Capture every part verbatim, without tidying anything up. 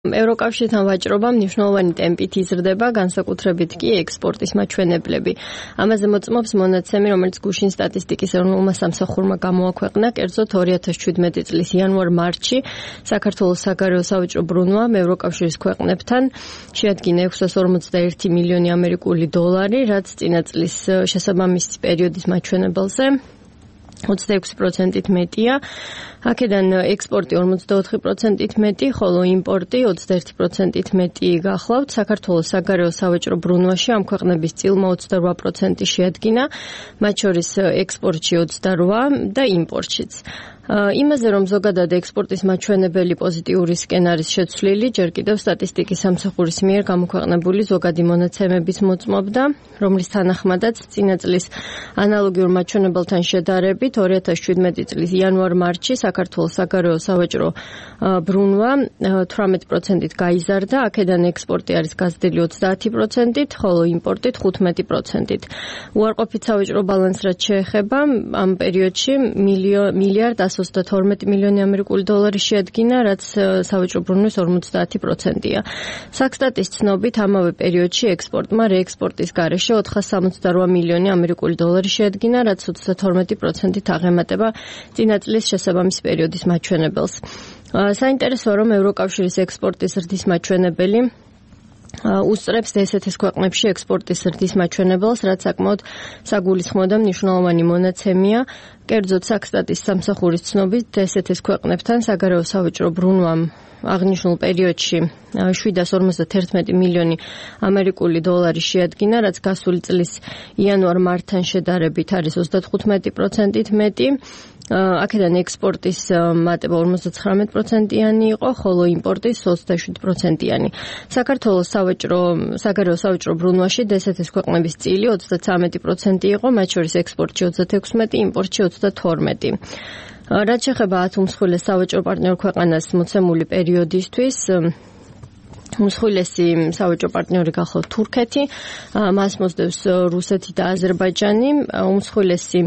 ევროკავშირთან ვაჭრობა მნიშვნელოვანი ტემპით იზრდება, განსაკუთრებით კი ექსპორტის მაჩვენებლები. ამაზე მოწმობს მონაცემი, რომელიც გუშინ სტატისტიკის ეროვნულმა სამსახურმა გამოაქვეყნა, კერძოდ ორი ათას შვიდმეტი წლის იანვარ-მარტში საქართველოს საგარეო სავაჭრო ბრუნვამ ევროკავშირის ქვეყნებთან შეადგინა ექვსას ორმოცდაერთი მილიონი ამერიკული დოლარი, რაც წინა წლის შესაბამისი პერიოდის მაჩვენებელზე ოცდაექვსი პროცენტით მეტია. აქედან ექსპორტი ორმოცდაოთხი პროცენტით მეტი, ხოლო იმპორტი ოცდაერთი პროცენტით მეტი გახლავთ. საქართველოს საგარეო სავაჭრო ბრუნვაში ამ ქვეყნების წილმა ოცდარვა პროცენტი შეადგინა, მათ შორის ექსპორტში ოცდარვა და იმპორტშიც. იმაზე, რომ ზოგადად ექსპორტის მაჩვენებელი პოზიტიურისკენ არის შეცვლილი, ჯერ კიდევ სტატისტიკის სამსახურის მიერ გამოქვეყნებული ზოგადი მონაცემების მოწმობდა, რომლის თანახმადაც წინა წლის ანალოგიურ მაჩვენებელთან შედარებით ორი ათას შვიდმეტი წლის იანვარ-მარტში საქართველოს საგარეო სავაჭრო ბრუნვა თვრამეტი პროცენტით გაიზარდა, აქედან ექსპორტი არის გაზრდილი ოცდაათი პროცენტით, ხოლო იმპორტი თხუთმეტი პროცენტით. უარყოფით სავაჭრო ბალანს რაც შეეხება, ამ პერიოდში მილიარდ ასი ოცდათორმეტი მილიონი ამერიკული დოლარი შეადგინა, რაც სავაჭრო ბრუნვის ორმოცდაათი პროცენტია. საქსტატის ცნობით, ამავე პერიოდში ექსპორტმა რეექსპორტის გარეშე ოთხას სამოცდარვა მილიონი ამერიკული დოლარი შეადგინა, რაც ოცდათორმეტი პროცენტით აღემატება წინა წლის შესაბამის პერიოდის მაჩვენებელს. საინტერესოა, რომ ევროკავშირის ექსპორტის ზრდის მაჩვენებელი უსწრებს დსთ-ის ქვეყნებში ექსპორტის ზრდის მაჩვენებელს, რაც საკმაოდ საგულისხმო და მნიშვნელოვანი მონაცემია. კერძოდ საქსტატის სამსახურის ცნობით, დსთ-ის ქვეყნებთან საგარეო სავაჭრო ბრუნვამ აღნიშნულ პერიოდში შვიდას ორმოცდაერთი მილიონი ამერიკული დოლარი შეადგინა, რაც გასული წლის იანვარ-მარტთან შედარებით არის ოცდათხუთმეტი პროცენტით მეტი. აქედან ექსპორტის მატება ორმოცდაცხრამეტი პროცენტიანი იყო, ხოლო იმპორტის ოცდაშვიდი პროცენტიანი. საქართველოს სავაჭრო საგარეო სავაჭრო ბრუნვაში დსთ-ის ქვეყნების წილი ოცდათვრამეტი პროცენტი იყო, მათ შორის ექსპორტში ოცდათექვსმეტი, იმპორტში ოცდათორმეტი. რაც შეეხება ათ უმსხვილეს სავაჭრო პარტნიორ ქვეყანას მოცემული პერიოდისთვის, უმსხვილესი სავაჭრო პარტნიორი გახლავთ თურქეთი, მას მოსდევს რუსეთი და აზერბაიჯანი. უმსხვილესი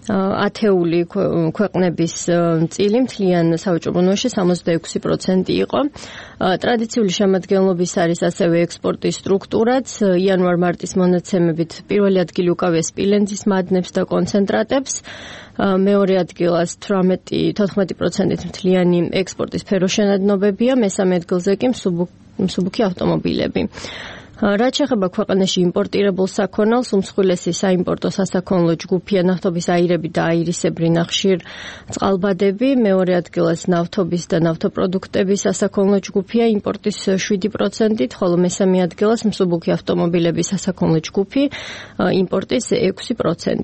ათეული ქვეყნების წილი მთლიან სავაჭრო ბრუნვაში სამოცდაექვსი პროცენტი იყო. ტრადიციული შემადგენლობის არის ასევე ექსპორტის სტრუქტურაც. იანვარ-მარტის მონაცემებით პირველი ადგილი უკავია სპილენძის მადნებს და კონცენტრატებს. მეორე ადგილას თოთხმეტი პროცენტით მთლიანი ექსპორტის სფეროშენადნობებია, მესამე ადგილზე კი მსუბუქი ავტომობილები. რაც შეეხება ქვეყანაში იმპორტირებულ საქონელს, უმსხვილესი საიმპორტო სასაქონლო ჯგუფია ნავთობის აირები და აირისებრი ნახშირ წყალბადები, მეორე ადგილას ნავთობის და ნავთობპროდუქტების სასაქონლო ჯგუფია იმპორტის შვიდი პროცენტით, ხოლო მესამე ადგილას მსუბუქი ავტომობილების სასაქონლო ჯგუფი იმპორტის ექვსი პროცენტით.